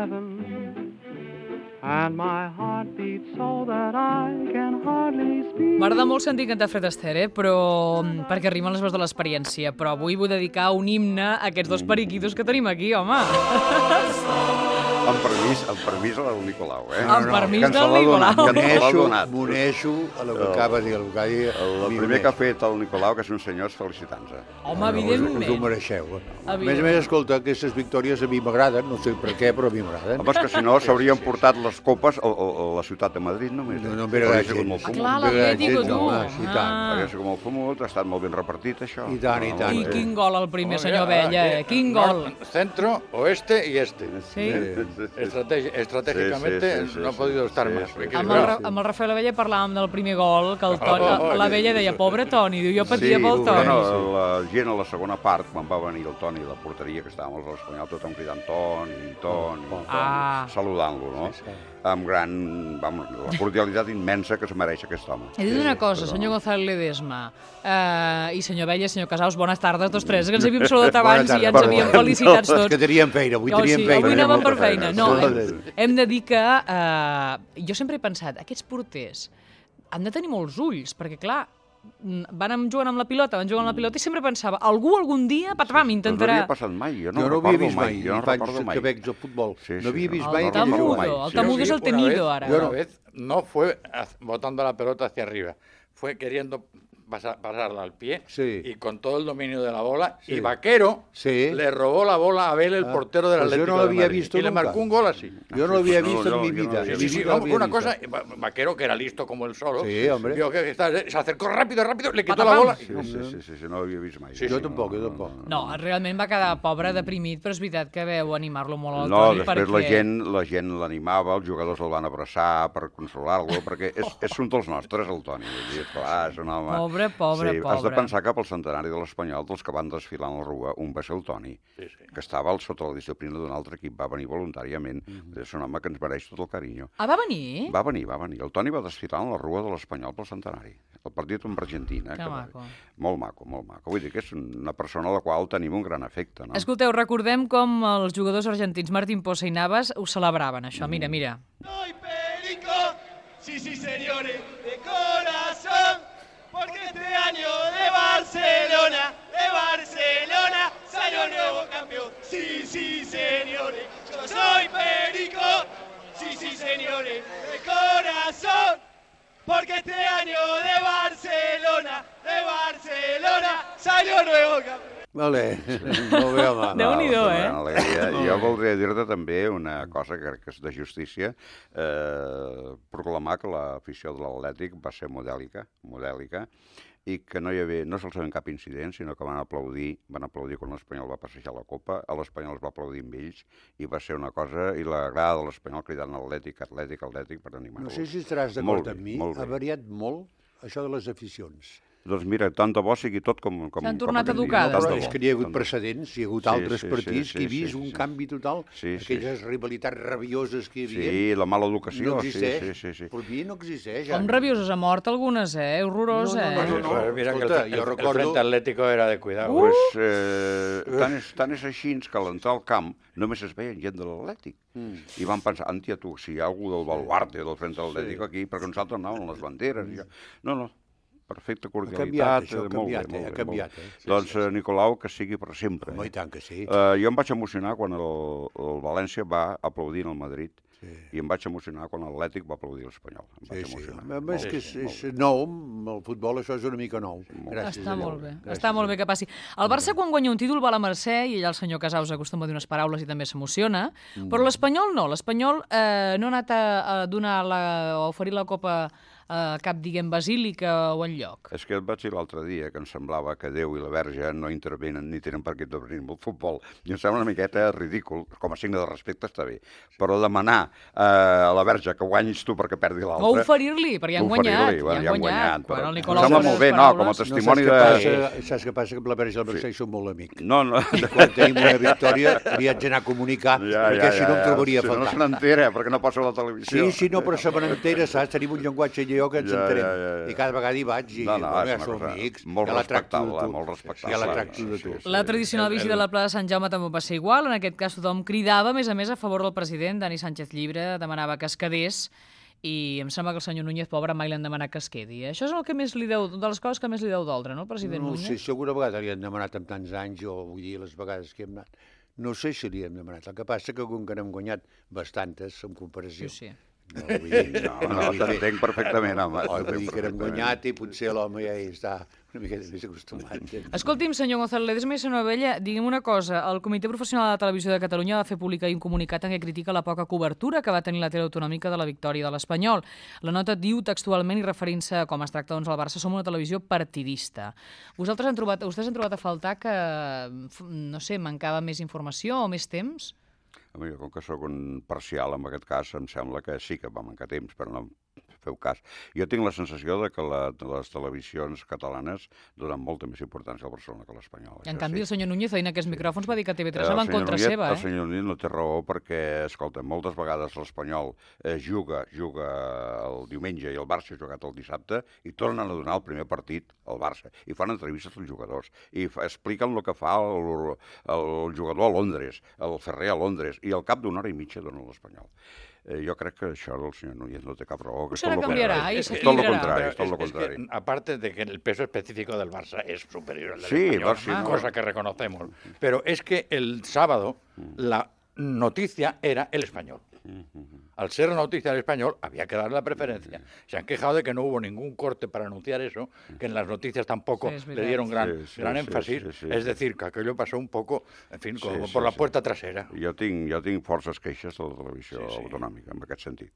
heaven, and my heart beats so that I can hardly speak. M'agrada molt sentir cantar Fred Astaire, però perquè rimen les veus de l'experiència, però avui vull dedicar un himne a aquests dos periquitos que tenim aquí, home. Amb permís del Nicolau, eh? Amb permís del Nicolau. M'uneixo a lo que acaba de dir el Gai. El primer que ha fet el Nicolau, que és un senyor, és felicitant-se. Home, evidentment. Us ho mereixeu. A més, escolta, aquestes victòries a mi m'agraden, no sé per què, però a mi m'agraden. Home, és que si no s'haurien portat les copes a la ciutat de Madrid només. No m'agrada gens. Clar, l'Atlético, tu. Hauria sigut molt fumut, ha estat molt ben repartit, això. I tant, i tant. I quin gol el primer, senyor Abella, quin gol. Centro, oeste y este. Sí. Estratégicamente no ha podido estar más. Amb el Rafael Abella parlàvem del primer gol, que l'Abella deia, pobre Toni, diu, jo patia pel Toni. Bueno, la gent a la segona part, quan va venir el Toni a la porteria, que estàvem a l'Espanyol, tothom cridant Toni, saludant-lo, no? Amb gran, la cordialitat immensa que es mereix aquest home. He dit una cosa, senyor González Ledesma, i senyor Abella, senyor Casals, bones tardes, tots tres, que ens havíem saludat abans i ja ens havíem felicitat tots. Que teníem feina, avui teníem feina. Avui anàvem per feina. No, hem de dir que jo sempre he pensat, aquests porters han de tenir molts ulls, perquè clar, van jugant amb la pilota i sempre pensava, algun dia, patram, intentarà... No havia passat mai, jo no havia recordo vist mai, jo no recordo mai. Que veig el futbol. No havia vist mai. El Tamudo és el temido, ara. Una vez no fue botando la pelota hacia arriba, fue queriendo pasarla al pie y con todo el dominio de la bola y Vaquero le robó la bola a Abel, el portero del Atlético yo no lo había visto y le marcó un gol así. Yo no lo había visto en mi vida. Fue una cosa, Vaquero, que era listo como el solo, vio que se acercó rápido, le quitó la bola. Sí, no ho havia vist mai. Jo tampoc. No, realment va quedar pobre, deprimit, però és veritat que veu animar-lo molt al Toni. Toni. No, després la gent l'animava, els jugadors el van abraçar per consolar-lo, perquè és un dels nostres, el Toni. És un home... Pobre. Has de pensar que pel centenari de l'Espanyol, dels que van desfilar en la rua, un va ser el Toni, que estava sota la disciplina d'un altre equip, va venir voluntàriament. És un home que ens mereix tot el carinyo. Ah, va venir? Va venir. El Toni va desfilar en la rua de l'Espanyol pel centenari. El partit amb Argentina. Que maco. Molt maco. Vull dir que és una persona a la qual tenim un gran afecte, no? Escolteu, recordem com els jugadors argentins Martín Poza i Navas ho celebraven, això. Mira. Soy Perico, sí, señores, de corazón. Porque este año de Barcelona salió nuevo campeón. Sí, señores, yo soy Perico, sí, señores, de corazón. Porque este año de Barcelona salió nuevo campeón. Vale, molt bé, home. Déu-n'hi-do, Jo voldria dir-te també una cosa que crec que és de justícia, proclamar que l'afició de l'Atlètic va ser modèlica, i que no se'ls veia cap incident, sinó que van aplaudir quan l'Espanyol va passejar la Copa, l'Espanyol es va aplaudir amb ells, i va ser una cosa, i la grada de l'Espanyol cridant Atlètic per animar-los. No sé si estaràs d'acord amb mi, ha variat molt això de les aficions. Doncs mira, tant de bo sigui tot com s'han tornat educades. Però és que hi ha hagut precedents, hi ha hagut altres partits que he vist un canvi total, aquelles rivalitats rabioses que hi havia. Sí, la mala educació. No existeix. Per mi no existeix. Com rabioses, ha mort algunes, horrorós, No. Mira que el Frente Atlético era de cuidado. Tant és així que a l'entrar al camp només es veien gent de l'Atlètic. I van pensar, antia tu, si hi ha algú del baluarte del Frente Atlético aquí, perquè nosaltres anàvem amb les banderes. No. Perfecta cordialitat. Ha canviat. Doncs Nicolau, que sigui per sempre. I tant que sí. Jo em vaig emocionar quan el València va aplaudir el Madrid i em vaig emocionar quan l'Atlètic va aplaudir l'Espanyol. És que és nou, el futbol això és una mica nou. Està molt bé que passi. El Barça quan guanya un títol va a la Mercè i allà el senyor Casals acostuma a dir unes paraules i també s'emociona, però l'Espanyol no. L'Espanyol no ha anat a oferir la Copa a cap, diguem, basílica o enlloc. És que et vaig dir l'altre dia que em semblava que Déu i la Verge no intervenen ni tenen per què intervenir en el futbol. I em sembla una miqueta ridícul, com a signe de respecte està bé, però demanar a la Verge que guanyis tu perquè perdi l'altre... O oferir-li, perquè ja han guanyat. Em sembla molt bé, no, com a testimoni de... Saps què passa? Que amb la Verge i el Barça són molt amics. No. Quan tenim una victòria li haig d'anar a comunicar, perquè si no em trobaria a faltar. No se n'entera, perquè no passa a la televisió. Sí, no, però se me n'entera, saps? Tenim un llenguatge allò jo que ens entenem. I cada vegada hi vaig i som amics. Molt respectable, molt respectable. Ja la tracto de tu. La tradicional visita a la Pla de Sant Jaume també va ser igual. En aquest cas tothom cridava, a més, a favor del president. Dani Sánchez Llibre demanava que es quedés i em sembla que el senyor Núñez, pobre, mai li han demanat que es quedi. Això és el que més li deu, de les coses que més li deu doldre, no, el president Núñez? No sé, si alguna vegada li han demanat amb tants anys, o vull dir, les vegades que hem anat, no sé si li hem demanat. El que passa que com que n'hem guanyat bastantes, en comparació. Sí. No, t'entenc perfectament, home. Vull dir que n'hem guanyat i potser l'home ja hi està una miqueta més acostumat. Escolti'm, senyor Gonzalo Ledesma i senyor Abella, digui'm una cosa. El Comitè Professional de la Televisió de Catalunya va fer públic un comunicat en què critica la poca cobertura que va tenir la tele autonòmica de la victòria de l'Espanyol. La nota diu textualment, i referint-se a com es tracta al Barça, som una televisió partidista. Vostès han trobat a faltar que, no sé, mancava més informació o més temps? Jo, com que sóc un parcial en aquest cas, em sembla que sí que va mancar temps, però no feu cas. Jo tinc la sensació de que les televisions catalanes donen molta més importància al Barcelona que a l'Espanyol. En canvi, el senyor Núñez, veient aquests micròfons, va dir que TV3 va en contra seva. El senyor Núñez no té raó perquè, escolta, moltes vegades l'Espanyol juga el diumenge i el Barça ha jugat el dissabte i tornen a donar el primer partit al Barça i fan entrevistes als jugadors i expliquen el que fa el jugador a Londres, el Ferrer a Londres, i al cap d'una hora i mitja dona l'Espanyol. Jo crec que això el senyor Núñez no té cap raó. Pues ahora cambiará y se equilibrará. Es todo lo contrario. Aparte de que el peso específico del Barça es superior al del Español, cosa que reconocemos. Pero es que el sábado la noticia era el Español. Al ser la noticia del Español, había que darle la preferencia. Se han quejado de que no hubo ningún corte para anunciar eso, que en las noticias tampoco le dieron gran énfasis. Es decir, que aquello pasó un poco, en fin, como por la puerta trasera. Jo tinc forces queixes de la televisió autonòmica, en aquest sentit.